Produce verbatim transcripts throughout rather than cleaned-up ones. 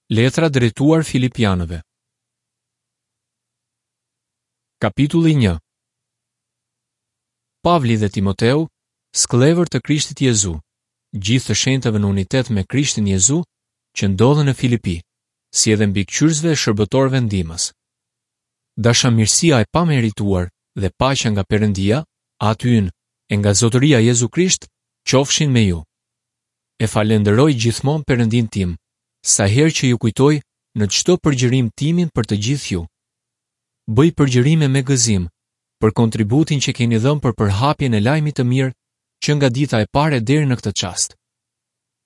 Letra drejtuar Filipianëve. Kapitulli një. Pavli dhe Timoteu, skllevër të Krishtit Jezu, gjithë të shenjtëve në unitet me Krishtin Jezu, që ndodhen në Filipi, si edhe mbikëqyrësve e shërbëtorëve ndihmës. Dashamirësia e pamerituar dhe paqja nga Perëndia, Ati ynë, e nga Zotëria Jezu Krisht, qofshin me ju. E falenderoj gjithmonë Perëndinë tim, sa herë që ju kujtoj në çdo përgjërim timin për të gjithë ju. Bëj përgjërime me gëzim për kontributin që keni dhënë për përhapjen e lajmit të mirë që nga dita e parë deri në këtë çast.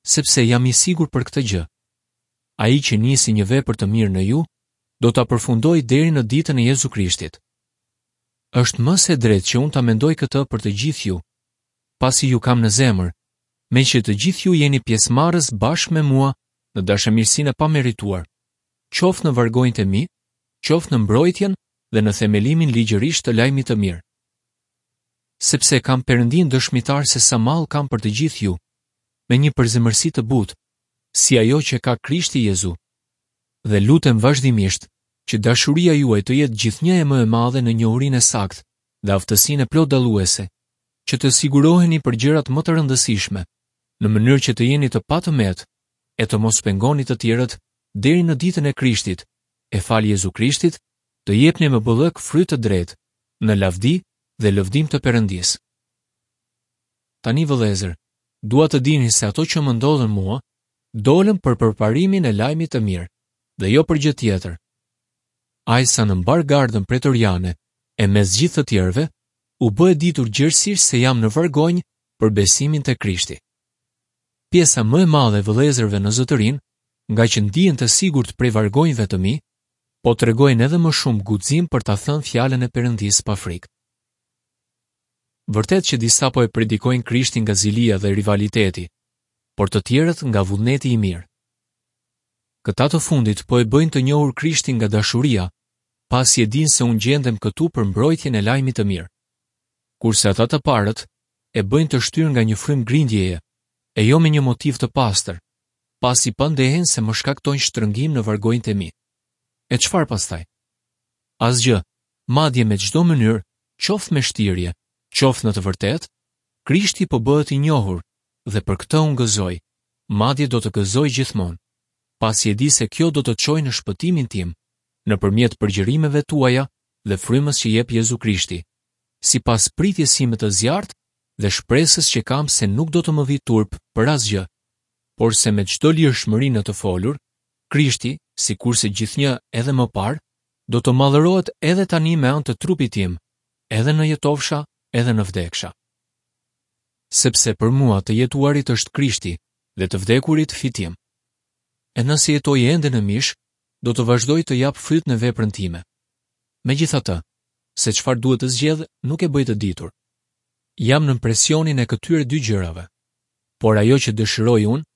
Sepse jam i sigurt për këtë gjë. Ai që nisi një vepër të mirë në ju, do ta përfundojë deri në ditën e Jezu Krishtit. Është më se drejtë që unë ta mendoj këtë për të gjithë ju, pasi ju kam në zemër, meqë të gjithë ju jeni pjesëmarrës bashkë me mua në dashamirësinë e pamerituar, qoftë në vargonjtë e mi, qoftë në mbrojtjen dhe në themelimin ligjërisht të lajmit të mirë. Sepse kam Perëndinë dëshmitar se sa mall kam për të gjithë ju, me një përzemërsi të butë, si ajo që ka Krishti Jezu. Dhe lutem vazhdimisht që dashuria juaj të jetë gjithnjë e më e madhe në njohurinë e saktë dhe aftësinë e plot dalluese, që të siguroheni për gjërat më të rëndësishme, në mënyrë që të jeni të patëmet e të mos pengoni të tjerët deri në ditën e Krishtit, e falë Jezu Krishtit, të jepni me bollëk fryt të drejtë, në lavdi dhe lëvdim të Perëndisë. Tani vëllezër, dua të dini se ato që më ndodhën mua, dolën për përparimin e lajmit të mirë, dhe jo për gjë tjetër. Ai sa në mbar gardën pretoriane, e mes gjithë të tjerëve, u bë e ditur gjerësisht se jam në vargonj për besimin te Krishti. Pjesa më e madhe e vëllezërve në zotërinë, nga që ndihen të sigurt prej vargonjve të mi, po tregojnë edhe më shumë guxim për ta thënë fjalën e Perëndisë pa frikë. Vërtet që disa po e predikojnë Krishtin nga zilia dhe rivaliteti, por të tjerët nga vullneti i mirë. Këta të fundit po e bëjnë të njohur Krishtin nga dashuria, pasi e dinë se unë gjendem këtu për mbrojtjen e lajmit të mirë. Kurse ata të parët e bëjnë të shtyrë nga një frymë grindjeje, e jo me një motiv të pastër, pasi pandehen se më shkaktojnë shtrëngim në vargonjtë e mi. E çfarë pastaj? Asgjë, madje me çdo mënyrë, qoftë me shtirje, qoftë në të vërtetë, Krishti po bëhet i njohur dhe për këtë unë gëzoj, madje do të gëzoj gjithmonë, pasi e di se kjo do të çojë në shpëtimin tim, nëpërmjet përgjërimeve tuaja dhe frymës që jep Jezu Krishti, sipas pritjes sime të zjarrt dhe shpresës që kam se nuk do të më vi turp për asgjë, por se me çdo lirshmëri në të folur, Krishti, sikurse gjithnjë edhe më parë, do të madhërohet edhe tani me anë të trupit tim, edhe në jetofsha, edhe në vdeksha. Sepse për mua të jetuarit është Krishti dhe të vdekurit fitim. E nëse jetoj ende në mish, do të vazhdoj të jap fryt në veprën time. Megjithatë, se çfarë duhet të zgjedh, nuk e bëj të ditur. Jam nën presionin e këtyre dy gjërave, por ajo që dëshiroj unë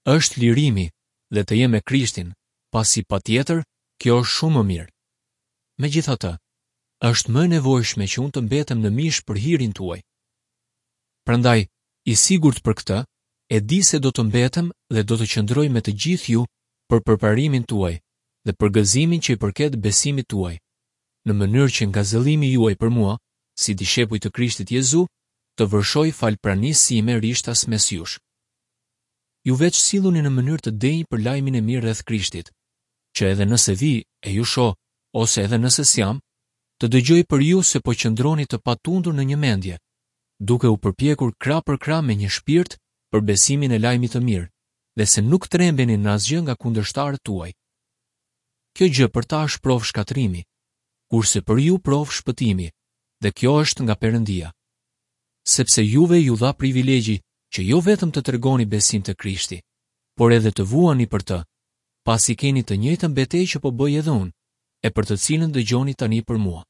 është lirimi dhe të jem me Krishtin, pasi patjetër kjo është shumë më mirë. Megjithatë, është më e nevojshme që unë të mbetem në mish për hirin tuaj. Prandaj, i sigurt për këtë, e di se do të mbetem dhe do të qëndroj me të gjithë ju për përparimin tuaj dhe për gëzimin që i përket besimit tuaj, në mënyrë që ngazëllimi juaj për mua, si dishepuj të Krishtit Jezu, të vërshoj fal pranisë sime rishtas mes jush. Ju veç silluni në mënyrë të denjë për lajmin e mirë rreth Krishtit, që edhe nëse vi e ju shoh, ose edhe nëse s'jam, të dëgjoj për ju se po qëndroni të patundur në një mendje, duke u përpjekur krah për krah me një shpirt për besimin e lajmit të mirë, dhe se nuk trembeni në asgjë nga kundërshtarët tuaj. Kjo gjë për ta është provë shkatërrimi, kurse për ju provë shpëtimi, dhe kjo është nga Perëndia. Sepse juve ju dha privilegji që jo vetëm të tregoni besim të Krishti, por edhe të vuani për të, pasi keni të njëjtën betejë që po bëj edhe unë, e për të cilën dëgjoni tani për mua.